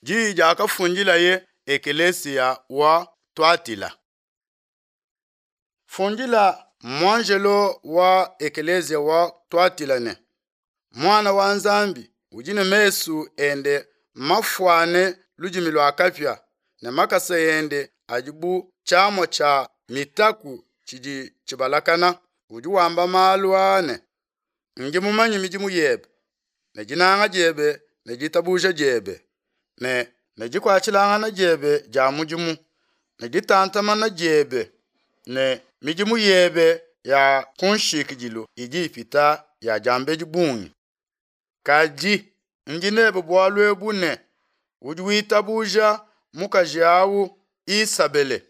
Diyi diakafundilaye ekelesia wa Tuatila. Fundila muanjelo wa ekelesia wa Tuatila ne, Muana wa Nzambi udi ne mesu ende mafuane ludimi lua kapia ne makasa ende adi bu tshiamua tshia mitaku tshidi tshibalakana, udi wamba malu aa ne, Ndi mumanye midimu yebe, ne dinanga diebe ne ditabuja diebe, ne ne dikuatshilangana diebe dia mudimu, ne ditantamana diebe, ne midimu yebe ya kunshikidilu idi ipita ya diambedi bungi. Kadi ndi nebe bualu ebu ne, udi witabuja mukaji awu Isabele,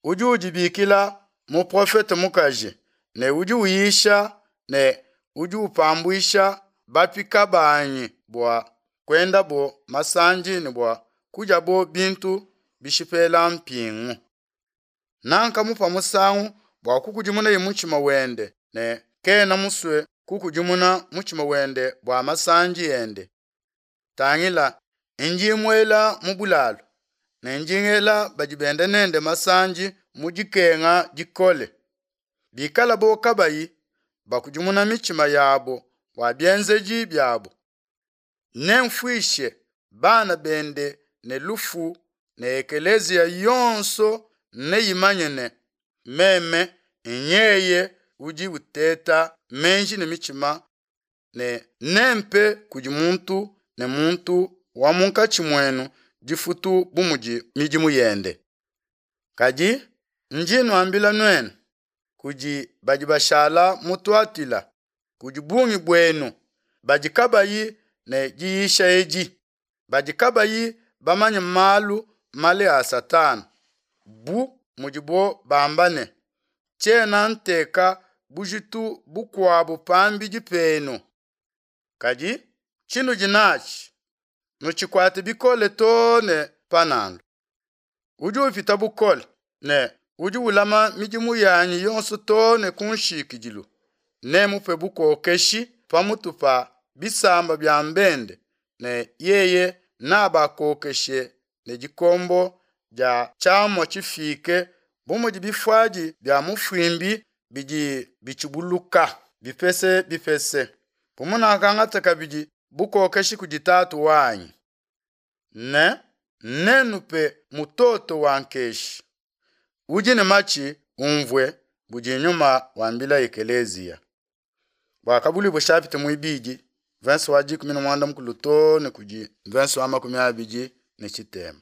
udi udibikila muprofete mukaji, ne udi uyisha ne udi upambuisha bapika banyi bua kuendabo masandi ne bua kudiabo bintu bishipela mpingu. Nankamupa musangu bua kukudimunaye mutshima wende, ne kena musue kukudimuna mutshima wende bua masandi ende. Tangila, ndi muela mu bulalu, ne ndi ngela badi benda nende masandi mu dikenga dikole, bikalabo kabayi bakudimuna mitshima yabo bua bienzedi biabo. Nemfuishe bana bende ne lufu ne ekeleziya yonso neyimanye ne, Meme nyeye udi uteta meji ne mitshima ne nempe kudi muntu ne muntu wa munkatshi muenu difutu bu mudi midimu yende. Kadi ndi nuambila nuenu, kudi badi bashala mu Tuatila, kudi bungi buenu badi kabayi ne diyisha edi, badi kabayi bamanye malu male a Satana, bu mudibo bamba ne, Tshiena nteka bujitu bukuabo pambidi penu. Kadi tshinudi natshi, nutshikuate bikole too ne panalua. Udi upita bukole ne udi ulama midimu yanyi yonso too ne ku nshikidilu, nemupe bukokeshi pamutu pa bisamba bia bende, ne yeye nabakokeshe ne dikombo dia tshiamua tshifike bu mudi bifuadi bia mufuimbi bidi bitshibuluka bipese bipese, bu munakangata kabidi bukokeshi kudi Tatu wanyi. Ne nenupe mutoto wa nkeshi. Udi ne matshi umvue budi Nyuma wambila ekeleziya. Buakabuluibua chapitre muibidi verse wa 13 too ne kudi verse wa 23.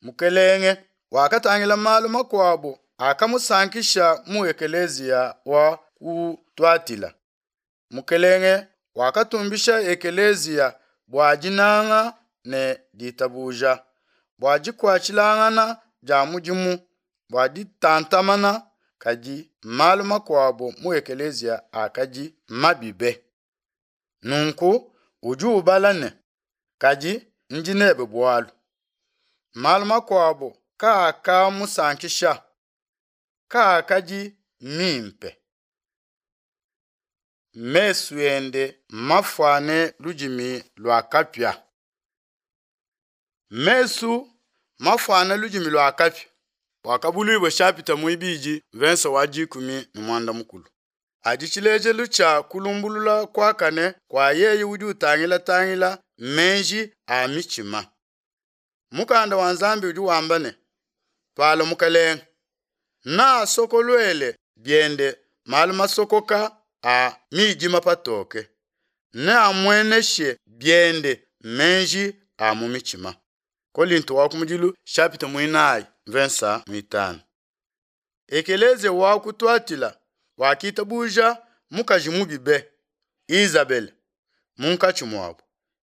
Mukelenge wakatangila malu makuabo akamusankisha mu ekeleziya wa ku Tuatila. Mukelenge wakatumbisha ekeleziya bua dinanga ne ditabuja, bua dikuatshilangana dia mudimu, bua ditantamana, kadi malu makuabo mu ekeleziya akadi mabi be. Nunku udi ubala ne, Kadi ndi nebe bualu. Malu makuabo kaakamusankisha, kaakadi mimpe. Mesu ende mafuane ludimi lua kapia. Mesu mafuane ludimi lua kapia. Buakabuluibua chapitre muibidi verse wa 13 adi tshilejelu tshia kulumbulula kuakane kua yeye udi utangila-tangila meji a mitshima. Mukanda wa Nzambi udi wamba ne, Palua Mukelenge, naasokoluele biende malu masokoka a midima patoke, neamueneshe biende meji a mu mitshima. Kolinto wa kumudilu chapitre muinayi mvensa muitanu. Ekeleziya wa ku Tuatila wakitabuja mukaji mubi be, Izabele, munkatshi muabo.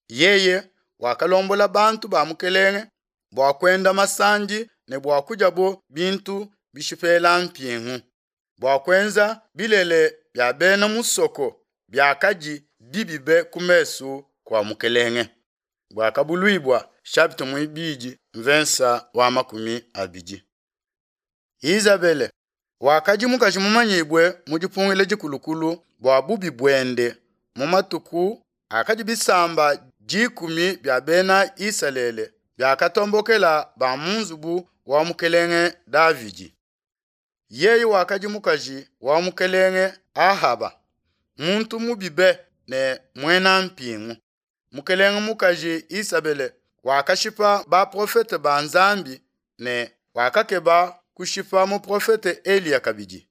Yeye wakalombola bantu ba Mukelenge bua kuenda masandi ne bua kudiabo bintu bishipela mpingu, bua kuenza bilele bia bena musoko biakadi bibi be ku mesu kua Mukelenge. Buakabuluibua chapitre muibidi mvensa wa 20. Izabele wakadi mukaji mumanyibue mu dipungila dikulukulu bua bubi buende mu matuku akadi bisamba dikumi bia Bena Isalele biakatombokela ba mu nzubu wa mukelenge Davidi. Yeye wakadi mukaji wa mukelenge Ahaba, muntu mubi be ne muena mpingu. Mukelenge mukaji Isabele wakashipa baprofete ba Nzambi ne wakakeba kushipa muprofete Eliya kabidi.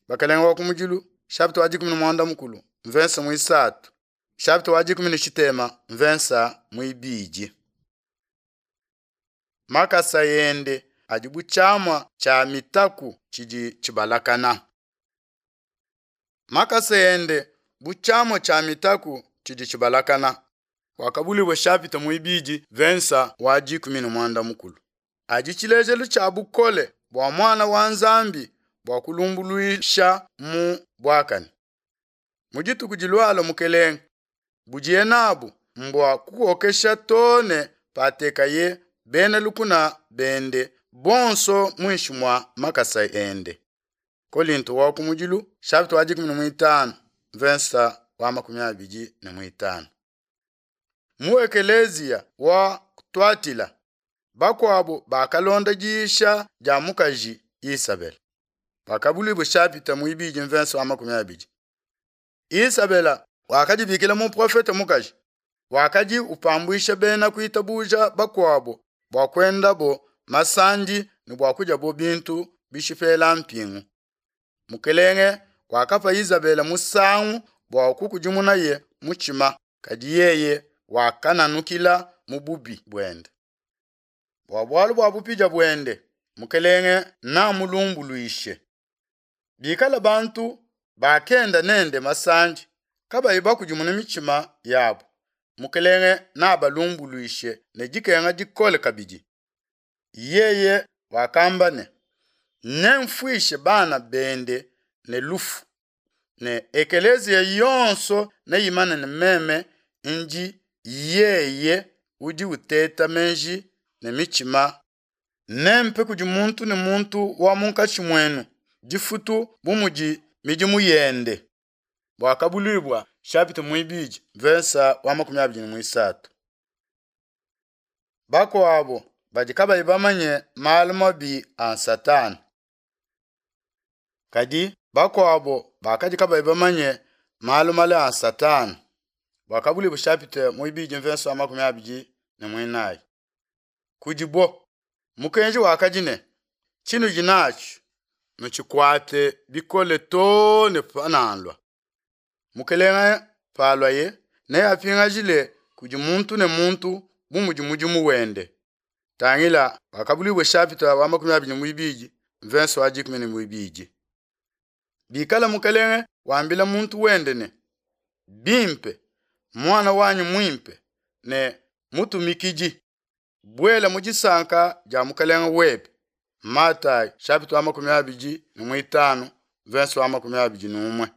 Bakelenge wa kumudilu chapitre wa 13 mvensa muisatu chapitre wa 13 mvensa muibidi. Makasa ende adi bu tshiamua tshia mitaku tshidi tshibalakana. Makasa ende bu tshiamua tshia mitaku tshidi tshibalakana. Wakabulibua chapitre muibidi vensa wa 13. Adi tshilejelu tshia bukole bua muana wa Nzambi bua kulumbuluisha mu buakane. Mu dituku dilualua mukelenge, budiye nabu mbua kukokesha too ne patekaye bena lukuna bende bonso muinshi mua makasa ende. Kolinto wa kumudilu chapitre wa 15 verse wa 25. Mu ekeleziya wa Tuatila bakuabu bakalonda diyisha dia mukaji Isabela. Bakabuluibua chapitre muibidi mvensa wa 20. Isabela wakadibikila muprofete mukaji, wakadi upambuisha bena kuitabuja bakuabu bua kuendabo masandi ne bua kudiabo bintu bishipela mpingu. Mukelenge wakapa Isabela musangu bua kukudimunaye mutshima, kadi yeye wakananukila mu bubi buende. Bua bualu bua bupidia buende, mukelenge namulumbuluishe. Bikala bantu bakenda nende masandi kabayi bakudimuna mitshima yabo, mukelenge nabalumbuluishe ne dikenga dikole kabidi. Yeye wakamba ne, nemfuishe bana bende ne lufu, ne ekeleziya yonso neimane ne meme ndi yeye udi uteta meji ne mitshima. Nempe kudi muntu ne muntu wa munkatshi muenu difutu bu mudi midimu yende. Buakabuluibua chapitre muibidi versa wa 23. Bakuabo badi kabayi bamanye malu mabi a Satana. Kadi bakuabo bakadi kabayi bamanye malu male a Satana. Buakabuluibua chapitre muibidi versa wa 24. Kudibo mukenji wakadi ne tshinudi natshi nutshikuate bikole too ne panalua. Mukelenge paluaye neapingajile kudi muntu ne muntu bu mudi mudimu wende. Tangila Buakabuluibua chapitre wa 22 verse wa 12. Bikala mukelenge wambila muntu wende ne, bimpe muana wanyi muimpe ne mutumikidi, buela mu disanka dia mukelenge webe. Matayi chapitre wa 25 verse wa 21.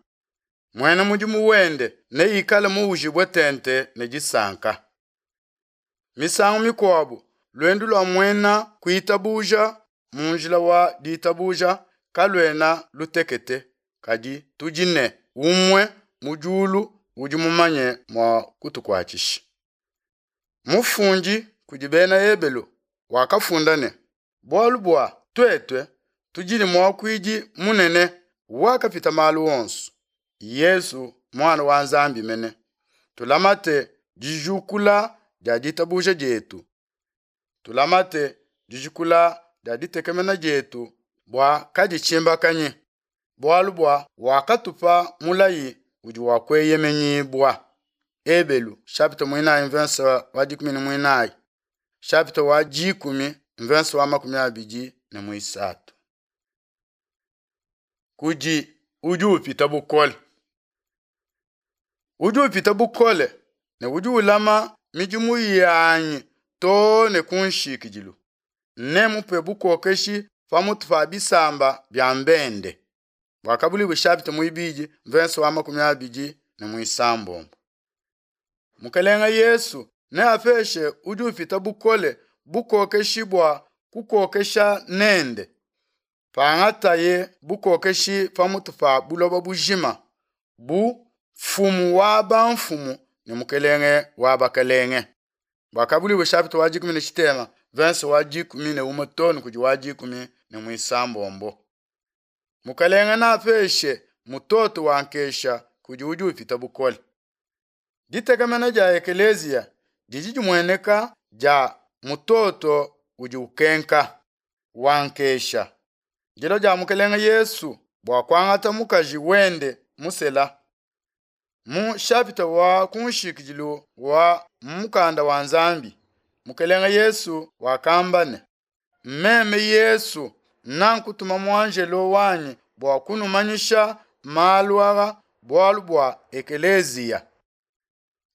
Muena mudimu wende neikale muujibue tente ne disanka. Misangu mikuabu luendu lua muena kuitabuja mu njila wa ditabuja kaluena lutekete, kadi tudi ne umue mu diulu udi mumanye mua kutukuatshisha. Mufundi kudi bena Ebelu wakafunda ne, bualu bua tuetu tudi ne muakuidi munene wakapita malu onso, Yesu muana wa Nzambi mene. Tulamate dijukula dia ditabuja dietu, tulamate dijukula dia ditekemena dietu bua kaditshimbakanyi, bualu bua wakatupa mulayi udi wa kueyemenyibua. Ebelu chapitre 4 verse wa 14, chapitre wa 10 verse wa 23. Kudi udi upita bukole, udi upita bukole ne udi ulama midimu yanyi too ne ku nshikidilu, nemupe bukokeshi pamutu pa bisamba bia mbende. Buakabuluibua chapitre muibidi verse wa 26. Mukelenge Yesu neapeshe udi upita bukole bukokeshi bua kukokesha nende. Pangataye bukokeshi pamutu pa buloba bujima bu mfumu wa bamfumu ne Mukelenge wa bakelenge. Buakabuluibua chapitre wa dikumi ne tshitema verse wa 11 too ne kudi wa 16. Mukelenge neapeshe mutoto wa nkesha kudi udi upita bukole. Ditekemena dia ekeleziya didi dimueneka dia mutoto udi ukenka wa nkesha. Dilua dia Mukelenge Yesu bua kuangata mukaji wende musela. Mu chapitre wa kunshikidilu wa mukanda wa Nzambi, Mukelenge Yesu wakamba ne, Meme Yesu nankutuma muanjelo wanyi bua kunumanyisha malu aa bualu bua ekeleziya.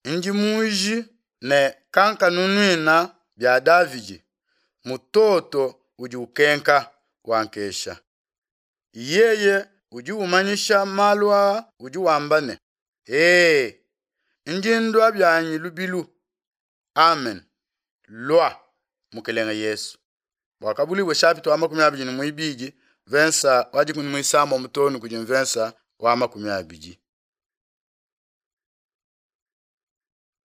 Ndi muji ne kankanunuina bia Davidi, mutoto udi ukenka wa nkesha. Yeye udi umanyisha malu aa udi wamba ne, Ee, ndi ndua bianyi lubilu. Amen. Lua, Mukelenge Yesu. Buakabuluibua chapitre wa 22 verse wa 16 too ne kudi mvensa wa 20.